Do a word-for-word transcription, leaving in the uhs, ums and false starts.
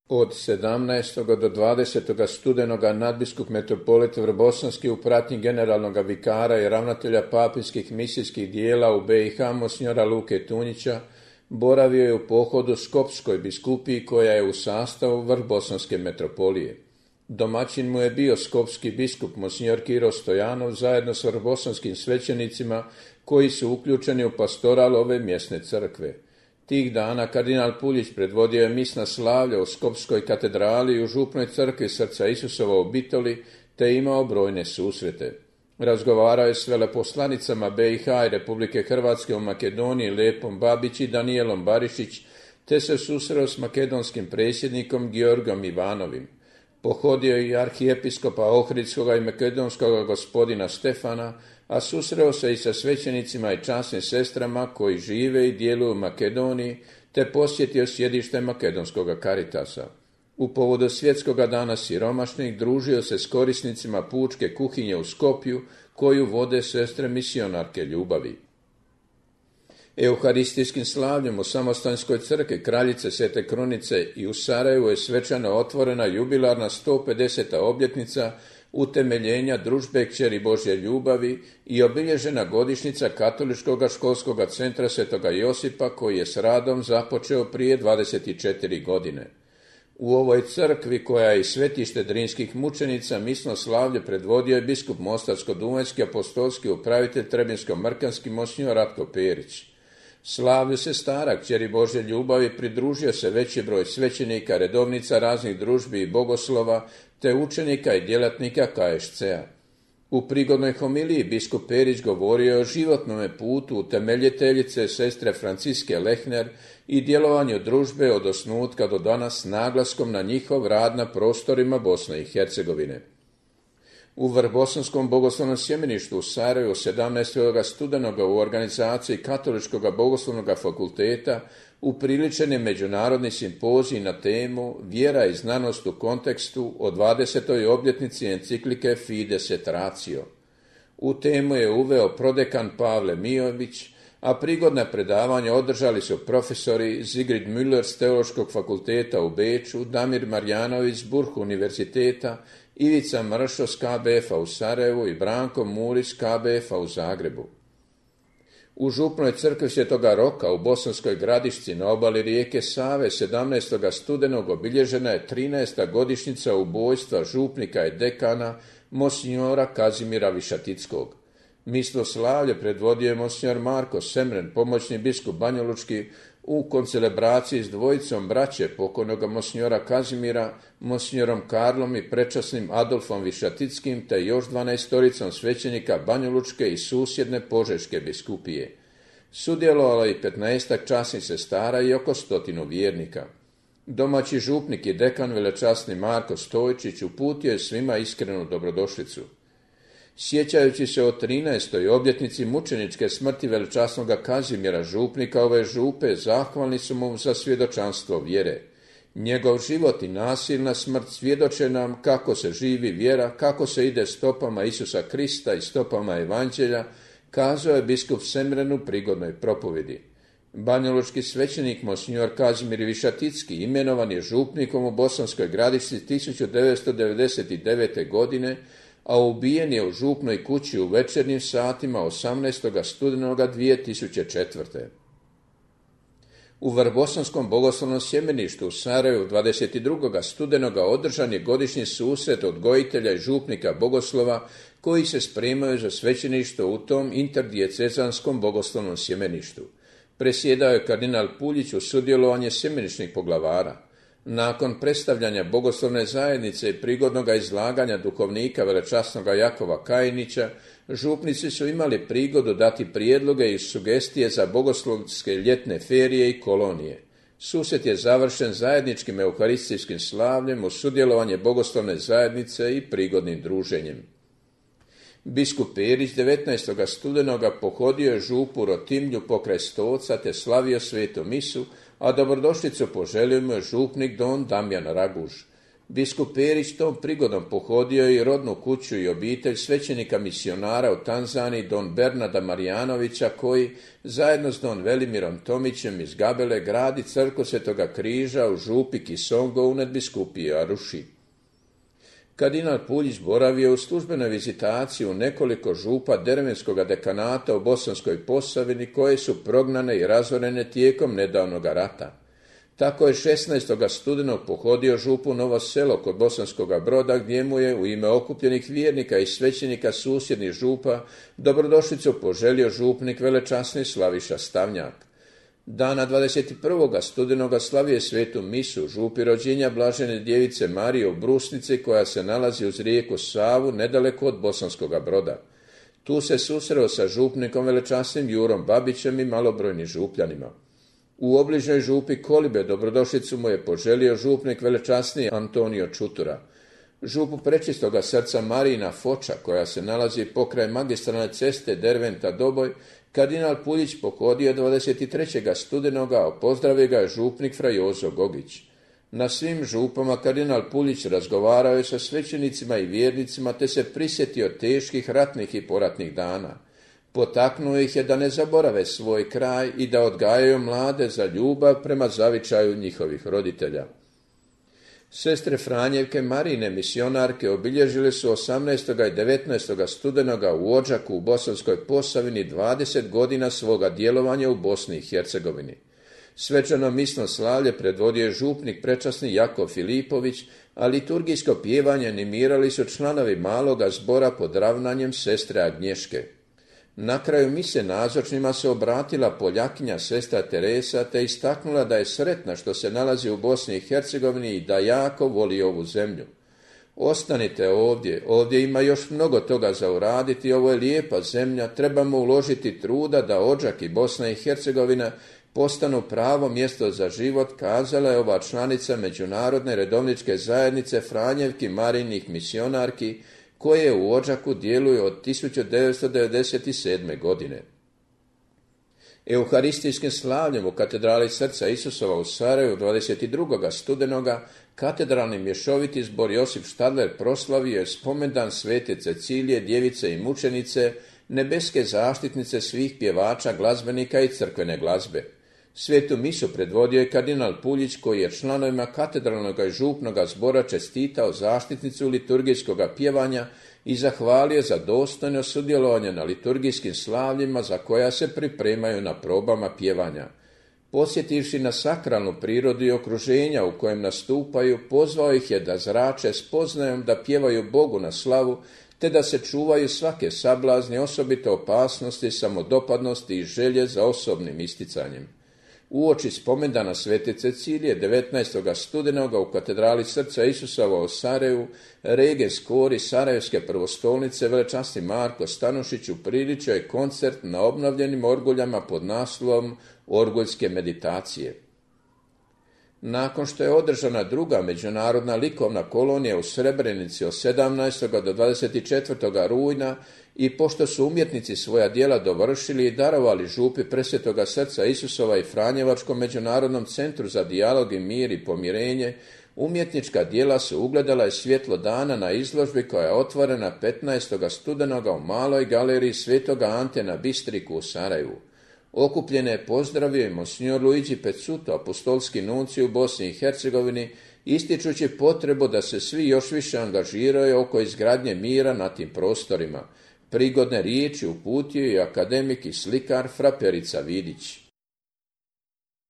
Od sedamnaestog do dvadesetog studenoga nadbiskup metropolit Vrbosanski u pratnji generalnog vikara i ravnatelja papinskih misijskih dijela u be i ha monsignora Luke Tunjića boravio je u pohodu Skopskoj biskupiji koja je u sastavu Vrbosanske metropolije. Domaćin mu je bio skopski biskup monsignor Kiro Stojanov zajedno s vrbosanskim svećenicima koji su uključeni u pastoral ove mjesne crkve. Tih dana kardinal Puljić predvodio je misna slavlja u Skopskoj katedrali i u župnoj crkvi Srca Isusova u Bitoli, te imao brojne susrete. Razgovarao je s veleposlanicama be i ha i Republike Hrvatske u Makedoniji Lepom Babić i Danijelom Barišić, te se susreo s makedonskim predsjednikom Georgom Ivanovim. Pohodio je i arhijepiskopa Ohridskoga i makedonskoga gospodina Stefana, a susreo se i sa svećenicima i časnim sestrama koji žive i djeluju u Makedoniji, te posjetio sjedište makedonskoga Karitasa. U povodu svjetskoga dana siromašnih družio se s korisnicima pučke kuhinje u Skopju, koju vode sestre misionarke ljubavi. Euharistijskim slavljem u Samostanskoj crkvi Kraljice Svete Krunice i u Sarajevu je svečano otvorena jubilarna sto pedeseta obljetnica utemeljenja Družbe Kćeri Božje ljubavi i obilježena godišnjica Katoličkog školskog centra Svetoga Josipa koji je s radom započeo prije dvadeset četiri godine. U ovoj crkvi, koja je i svetište drinskih mučenica, misno slavlje predvodio je biskup Mostarsko-duvanjski apostolski upravitelj Trebinsko-mrkanski monsignor Ratko Perić. Slavlju sestara Kćeri Božje ljubavi pridružio se veći broj svećenika, redovnica raznih družbi i bogoslova, te učenika i djelatnika ka es ce a. U prigodnoj homiliji biskup Perić govorio o životnom putu utemeljiteljice sestre Franciske Lehner i djelovanju družbe od osnutka do danas s naglaskom na njihov rad na prostorima Bosne i Hercegovine. U Vrbosanskom bogoslovnom sjemeništu u Sarajevu sedamnaestog studenoga u organizaciji Katoličkog bogoslovnog fakulteta upriličen je međunarodni simpozij na temu Vjera i znanost u kontekstu o dvadesetoj obljetnici enciklike Fides et Ratio. U temu je uveo prodekan Pavle Mijović, a prigodna predavanja održali su profesori Zigrid Müller s Teološkog fakulteta u Beču, Damir Marjanović s Burh univerziteta, Ivica Mršo s ka be ef a u Sarajevu i Branko Murić s ka be ef a u Zagrebu. U župnoj crkvi Svetoga Roka u Bosanskoj Gradišci na obali rijeke Save sedamnaestog studenog obilježena je trinaesta godišnjica ubojstva župnika i dekana monsignora Kazimira Višatickog. Misno slavlje predvodio je monsignor Marko Semren, pomoćni biskup banjalučki, u koncelebraciji s dvojicom braće pokojnog monsignora Kazimira, monsignorom Karlom i prečasnim Adolfom Višatickim, te još dvanaestoricom svećenika banjalučke i susjedne Požeške biskupije. Sudjelovalo i petnaestak časnih sestara i oko stotinu vjernika. Domaći župnik i dekan velečasni Marko Stojčić uputio je svima iskrenu dobrodošlicu. Sjećajući se o trinaestoj obljetnici mučeničke smrti velečasnoga Kazimira, župnika ove župe, zahvalni su mu za svjedočanstvo vjere. Njegov život i nasilna smrt svjedoče nam kako se živi vjera, kako se ide stopama Isusa Krista i stopama Evanđelja, kazao je biskup Semren u prigodnoj propovjedi. Banjalučki svećenik monsignor Kazimir Višaticki imenovan je župnikom u Bosanskoj Gradišci tisuću devetsto devedeset devete. godine, a ubijen je u župnoj kući u večernjim satima osamnaestog studenoga dvije tisuće četvrte. U Vrbosanskom bogoslovnom sjemeništu u Sarajevu dvadeset drugog studenoga održan je godišnji susret odgojitelja i župnika bogoslova koji se spremaju za svećeništvo u tom interdijecezanskom bogoslovnom sjemeništu. Presjedao je kardinal Puljić u sudjelovanje sjemeničnih poglavara. Nakon predstavljanja bogoslovne zajednice i prigodnog izlaganja duhovnika velečasnoga Jakova Kajinića, župnici su imali prigodu dati prijedloge i sugestije za bogoslovske ljetne ferije i kolonije. Susret je završen zajedničkim euharistijskim slavljem u sudjelovanje bogoslovne zajednice i prigodnim druženjem. Biskup Perić devetnaestog studenoga pohodio je župu Rotimlju pokraj Stoca te slavio svetu misu, a dobrodošlicu poželio mu je župnik don Damjan Raguž. Biskup Perić tom prigodom pohodio i rodnu kuću i obitelj svećenika misionara u Tanzaniji don Bernarda Marijanovića, koji zajedno s don Velimirom Tomićem iz Gabele gradi crkvu Svetoga križa u župi Kisongo u nadbiskupiji Aruši. Kardinal Puljić boravio u službenoj vizitaciji u nekoliko župa Dervenskog dekanata u Bosanskoj Posavini, koje su prognane i razorene tijekom nedavnog rata. Tako je šesnaestog studenog pohodio župu Novo Selo kod Bosanskoga Broda, gdje mu je u ime okupljenih vjernika i svećenika susjednih župa dobrodošlicu poželio župnik velečasni Slaviša Stavnjak. Dana dvadeset prvog studenoga slavio je svetu misu župi rođenja Blažene djevice Marije u Brusnici, koja se nalazi uz rijeku Savu nedaleko od Bosanskoga Broda. Tu se susreo sa župnikom velečasnim Jurom Babićem i malobrojnim župljanima. U obližnjoj župi Kolibe dobrodošlicu mu je poželio župnik velečasni Antonio Čutura. Župu Prečistoga srca Marijina Foča, koja se nalazi pokraj magistralne ceste Derventa-Doboj, kardinal Puljić pohodio dvadeset trećeg studenoga, a pozdravio ga je župnik fra Jozo Gogić. Na svim župama kardinal Puljić razgovarao je sa svećenicima i vjernicima, te se prisjetio teških ratnih i poratnih dana. Potaknuo ih je da ne zaborave svoj kraj i da odgajaju mlade za ljubav prema zavičaju njihovih roditelja. Sestre Franjevke Marine misionarke obilježile su osamnaestog i devetnaestog studenoga u Odžaku u Bosanskoj Posavini dvadeset godina svoga djelovanja u Bosni i Hercegovini. Svečano misno slavlje predvodio je župnik prečasni Jakov Filipović, a liturgijsko pjevanje animirali su članovi maloga zbora pod ravnanjem sestre Agnješke. Na kraju mise nazočnima se obratila Poljakinja sestra Teresa, te istaknula da je sretna što se nalazi u Bosni i Hercegovini i da jako voli ovu zemlju. Ostanite ovdje, ovdje ima još mnogo toga za uraditi, ovo je lijepa zemlja, trebamo uložiti truda da Odžak i Bosna i Hercegovina postanu pravo mjesto za život, kazala je ova članica Međunarodne redovničke zajednice Franjevki Marinih misionarki, koje u Odžaku djeluju od tisuću devetsto devedeset sedme. godine. Euharistijskim slavljem u katedrali Srca Isusova u Sarajevu dvadeset drugog studenoga katedralni mješoviti zbor Josip Štadler proslavio je spomendan svete Cecilije, djevice i mučenice, nebeske zaštitnice svih pjevača, glazbenika i crkvene glazbe. Svetu misu predvodio je kardinal Puljić, koji je članovima katedralnog i župnog zbora čestitao zaštitnicu liturgijskog pjevanja i zahvalio za dostojno sudjelovanje na liturgijskim slavljima za koja se pripremaju na probama pjevanja. Posjetivši na sakralnu prirodu i okruženja u kojem nastupaju, pozvao ih je da zrače spoznajom da pjevaju Bogu na slavu, te da se čuvaju svake sablazni, osobite opasnosti, samodopadnosti i želje za osobnim isticanjem. Uoči spomendana svete Cecilije devetnaestog studenoga u katedrali Srca Isusova u Sarajevu, regens kori Sarajevske prvostolnice velečasni Marko Stanušić upriličio je koncert na obnovljenim orguljama pod naslovom Orguljske meditacije. Nakon što je održana druga međunarodna likovna kolonija u Srebrenici od sedamnaestog do dvadeset četvrtog rujna i pošto su umjetnici svoja djela dovršili i darovali župi Presvetoga Srca Isusova i Franjevačkom međunarodnom centru za dijalog i mir i pomirenje, umjetnička djela su ugledala i svjetlo dana na izložbi koja je otvorena petnaestog studenoga u maloj galeriji Svetoga Ante na Bistriku u Sarajevu. Okupljene je pozdravio i monsignor Luigi Pezzuto, apostolski nuncij u Bosni i Hercegovini, ističući potrebu da se svi još više angažiraju oko izgradnje mira na tim prostorima. Prigodne riječi uputio je akademik i slikar fra Perica Vidić.